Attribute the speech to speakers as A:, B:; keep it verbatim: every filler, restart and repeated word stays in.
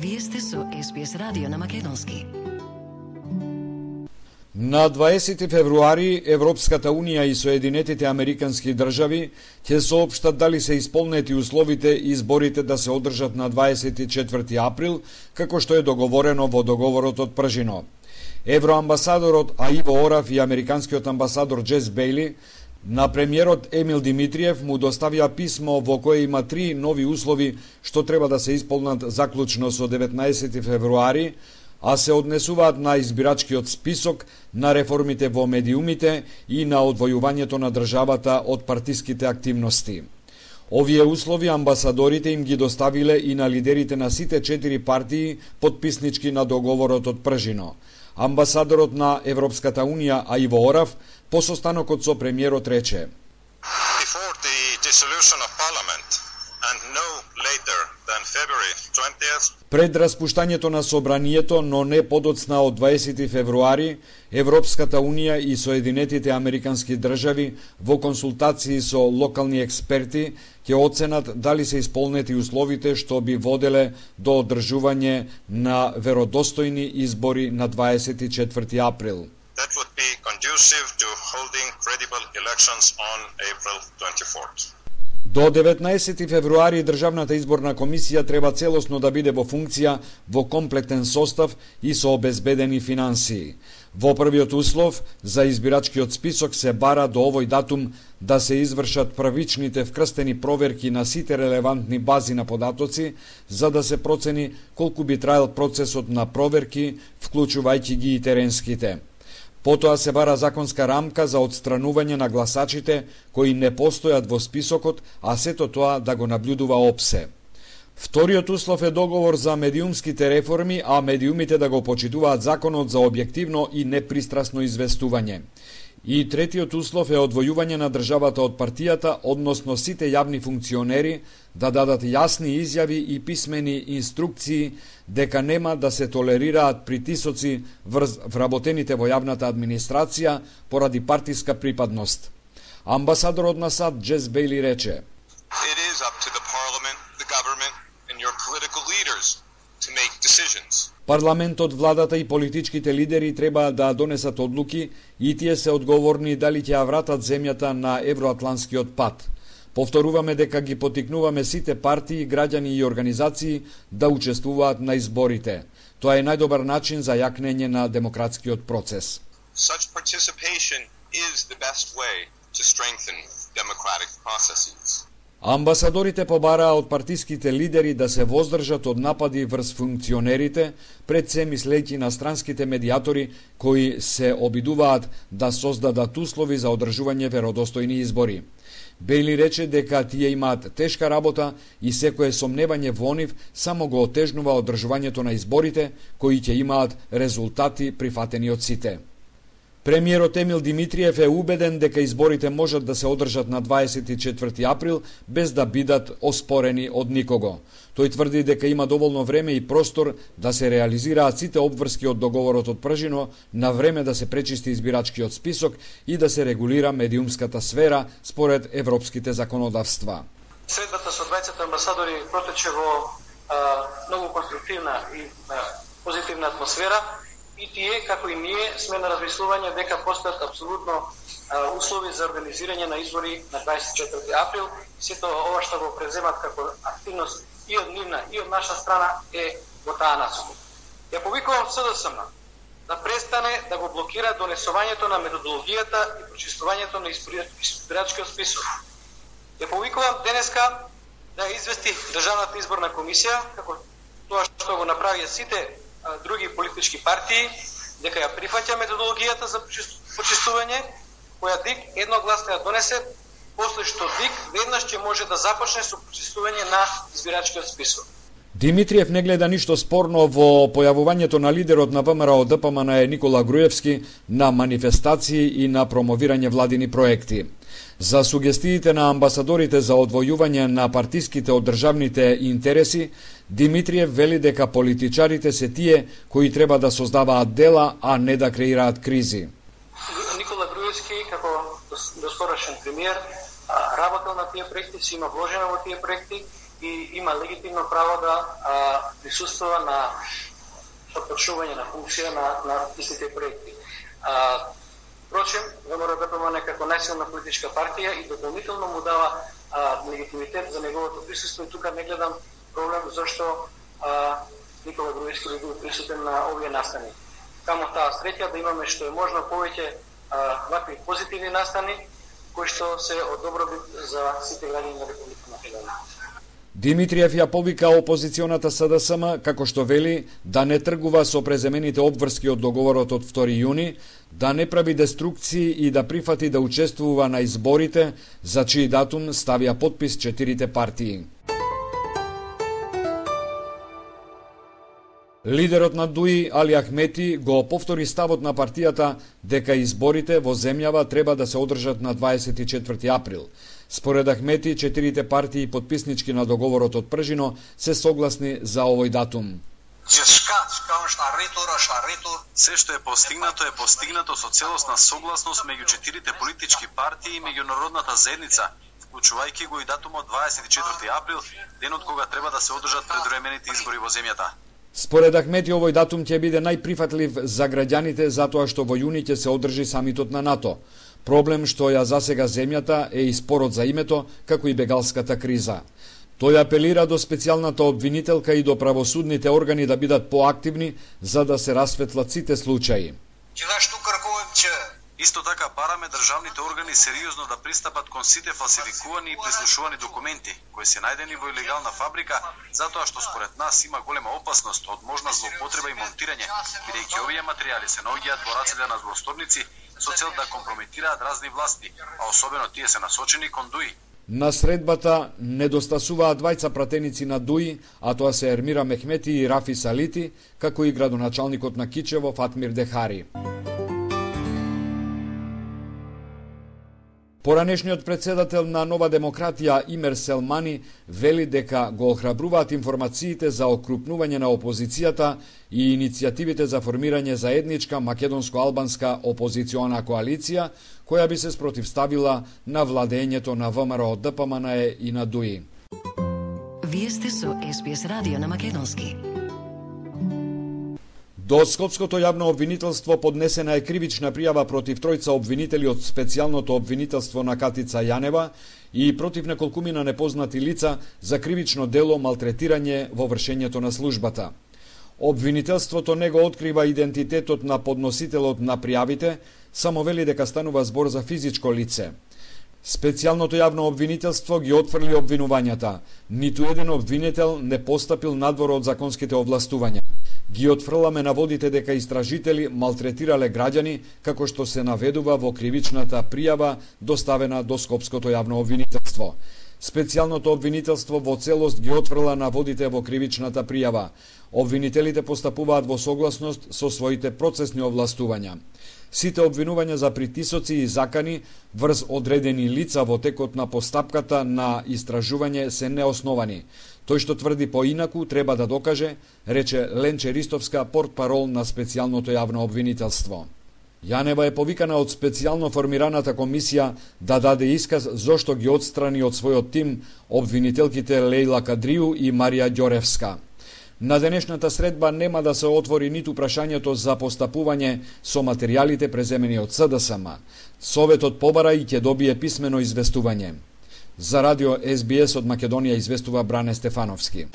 A: Вие сте со Ес Би Ес радио на македонски.
B: На дваесети февруари Европската Унија и Соединетите Американски држави ќе соопштат дали се исполнети условите изборите да се одржат на дваесет и четврти април, како што е договорено во договорот од Пржино. Евроамбасадорот Аиво Орав и американскиот амбасадор Джес Бејли на премиерот Емил Димитриев му доставија писмо во кое има три нови услови што треба да се исполнат заклучно со деветнаесети февруари, а се однесуваат на избирачкиот список, на реформите во медиумите и на одвојувањето на државата од партиските активности. Овие услови амбасадорите им ги доставиле и на лидерите на сите четири партии потписнички на договорот од Пржино. Амбасадорот на Европската Унија Аиво Орав по состанокот со премиерот рече:
C: Before the dissolution of Parliament and no later than February twentieth,
B: пред распуштањето на собранието, но не подоцна од дваесети февруари, Европската Унија и Соединетите Американски држави во консултации со локални експерти ќе оценат дали се исполнети условите што би воделе до одржување на веродостојни избори на дваесет и четврти април.
C: that would be conducive to holding credible elections on April twenty-fourth.
B: До деветнаесети февруари Државната изборна комисија треба целосно да биде во функција во комплетен состав и со обезбедени финансии. Во првиот услов за избирачкиот список се бара до овој датум да се извршат првичните вкрстени проверки на сите релевантни бази на податоци, за да се процени колку би траел процесот на проверки, вклучувајќи ги и теренските. Потоа се бара законска рамка за отстранување на гласачите кои не постојат во списокот, а сето тоа да го наблюдува ОПСЕ. Вториот услов е договор за медиумските реформи, а медиумите да го почитуваат законот за објективно и непристрасно известување. И третиот услов е одвојување на државата од партијата, односно сите јавни функционери да дадат јасни изјави и писмени инструкции дека нема да се толерираат притисоци врз вработените во јавната администрација поради партиска припадност. Амбасадорот на САД Джес Бејли рече:
C: It is up to the parliament, the government and your political leaders to make decisions.
B: Парламентот, владата и политичките лидери треба да донесат одлуки и тие се одговорни дали ќе ја вратат земјата на евроатлантскиот пат. Повторуваме дека ги потикнуваме сите партии, граѓани и организации да учествуваат на изборите. Тоа е најдобар начин за јакнење на демократскиот процес.
C: Such participation is the best way to strengthen democratic processes.
B: Амбасадорите побараа од партиските лидери да се воздржат од напади врз функционерите, пред се мислејќи на странските медиатори кои се обидуваат да создадат услови за одржување веродостојни избори. Бејли рече дека тие имаат тешка работа и секое сомневање во нив само го отежнува одржувањето на изборите кои ќе имаат резултати прифатени од сите. Премиерот Емил Димитриев е убеден дека изборите можат да се одржат на дваесет и четврти април без да бидат оспорени од никого. Тој тврди дека има доволно време и простор да се реализираат сите обврски од договорот од Пржино, на време да се пречисти избирачкиот список и да се регулира медиумската сфера според европските законодавства.
D: Средбата со двајцата амбасадори протече во а, многу конструктивна и а, позитивна атмосфера. И тие, како и ние, сме на размислување дека постојат апсолутно а, услови за организирање на избори на дваесет и четврти април. Сето ова што го преземат како активност и од нивна и од наша страна е во таа насока. Ја повикувам СДСМ да престане да го блокира донесувањето на методологијата и прочистувањето на избирачкиот список. Ја повикувам денеска да извести Државната изборна комисија, како тоа што го направија сите други политички партии, дека ја прифаќа методологијата за почистување, која ДИК едногласно ја донесе, после што ДИК веднаш ќе може да започне со почистување на избирачкиот список.
B: Димитриев не гледа ништо спорно во појавувањето на лидерот на ВМРО Д П М Н Никола Груевски на манифестации и на промовирање владини проекти. За сугестиите на амбасадорите за одвојување на партиските од државните интереси, Димитриев вели дека политичарите се тие кои треба да создаваат дела, а не да креираат кризи.
D: Никола Груевски, како доскорошен премиер, работел на тие проекти, си има вложено во тие проекти и има легитимно право да а, присуствува на почнување на функција на, на истите проекти. А, Впрочем, ВМРО-ДПМН како најсилна политичка партија и дополнително му дава а, легитимитет за неговото присуство, и тука не гледам проблем зашто а, Никола Груевски би бил присутен на овие настани. Камо таа среќа да имаме што е можно повеќе вакви позитивни настани кои што се од добробит за сите граѓани на Република Македонија.
B: Димитриев ја повика опозиционата СДСМ, како што вели, да не тргува со преземените обврски од договорот од втори јуни, да не прави деструкции и да прифати да учествува на изборите, за чиј датум ставија подпис четирите партии. Лидерот на ДУИ, Али Ахмети, го повтори ставот на партијата дека изборите во земјава треба да се одржат на дваесет и четврти април. Според Ахмети, четирите партии подписнички на договорот од Пржино се согласни за овој датум.
E: Се што е постигнато е постигнато со целосна согласност меѓу четирите политички партии и меѓународната заедница, вклучувајќи го и датумот дваесет и четврти април, денот кога треба да се одржат предвремените избори во земјата.
B: Според Ахмети, овој датум ќе биде најприфатлив за граѓаните затоа што во јуни ќе се одржи самитот на НАТО. Проблем што ја засега земјата е и спорот за името, како и бегалската криза. Тој апелира до специјалната обвинителка и до правосудните органи да бидат поактивни за да се расветлат сите случаи.
E: Исто така бараме државните органи сериозно да пристапат кон сите фалсификувани и прислушувани документи, кои се најдени во илегална фабрика, затоа што според нас има голема опасност од можна злоупотреба и монтирање, бидејќи овие материјали се наоѓаат во рацете на злосторници со цел да компрометираат разни власти, а особено тие се насочени кон ДУИ.
B: На средбата недостасуваат двајца пратеници на ДУИ, а тоа се Ермира Мехмети и Рафи Салити, како и градоначалникот на Кичево Фатмир Дехари. Поранешниот председател на Нова демократија Имер Селмани вели дека го охрабруваат информациите за окрупнување на опозицијата и иницијативите за формирање заедничка македонско-албанска опозициона коалиција, која би се спротивставила на владењето на ВМРО-ДПМН и на ДУИ.
A: Вие сте со Ес Би Ес радио на македонски.
B: До Скопското јавно обвинителство поднесена е кривична пријава против тројца обвинители од специјалното обвинителство на Катица Јанева и против неколкумина непознати лица за кривично дело малтретирање во вршењето на службата. Обвинителството не го открива идентитетот на подносителот на пријавите, само вели дека станува збор за физичко лице. Специјалното јавно обвинителство ги отфрли обвинувањата. Ниту еден обвинител не постапил надвор од законските овластувања. Ги отфрламе наводите дека истражители малтретирале граѓани, како што се наведува во кривичната пријава доставена до Скопското јавно обвинителство. Специјалното обвинителство во целост ги отфрла наводите во кривичната пријава. Обвинителите постапуваат во согласност со своите процесни овластувања. Сите обвинувања за притисоци и закани врз одредени лица во текот на постапката на истражување се неосновани. Тој што тврди поинаку треба да докаже, рече Ленче Ристовска, портпарол на специјалното јавно обвинителство. Јанева е повикана од специјално формираната комисија да даде исказ зошто ги отстрани од својот тим обвинителките Лејла Кадрију и Марија Ѓоревска. На денешната средба нема да се отвори ниту прашањето за постапување со материјалите преземени од СДСМ. Советот побара и ќе добие писмено известување. За радио Ес Би Ес од Македонија известува Бране Стефановски.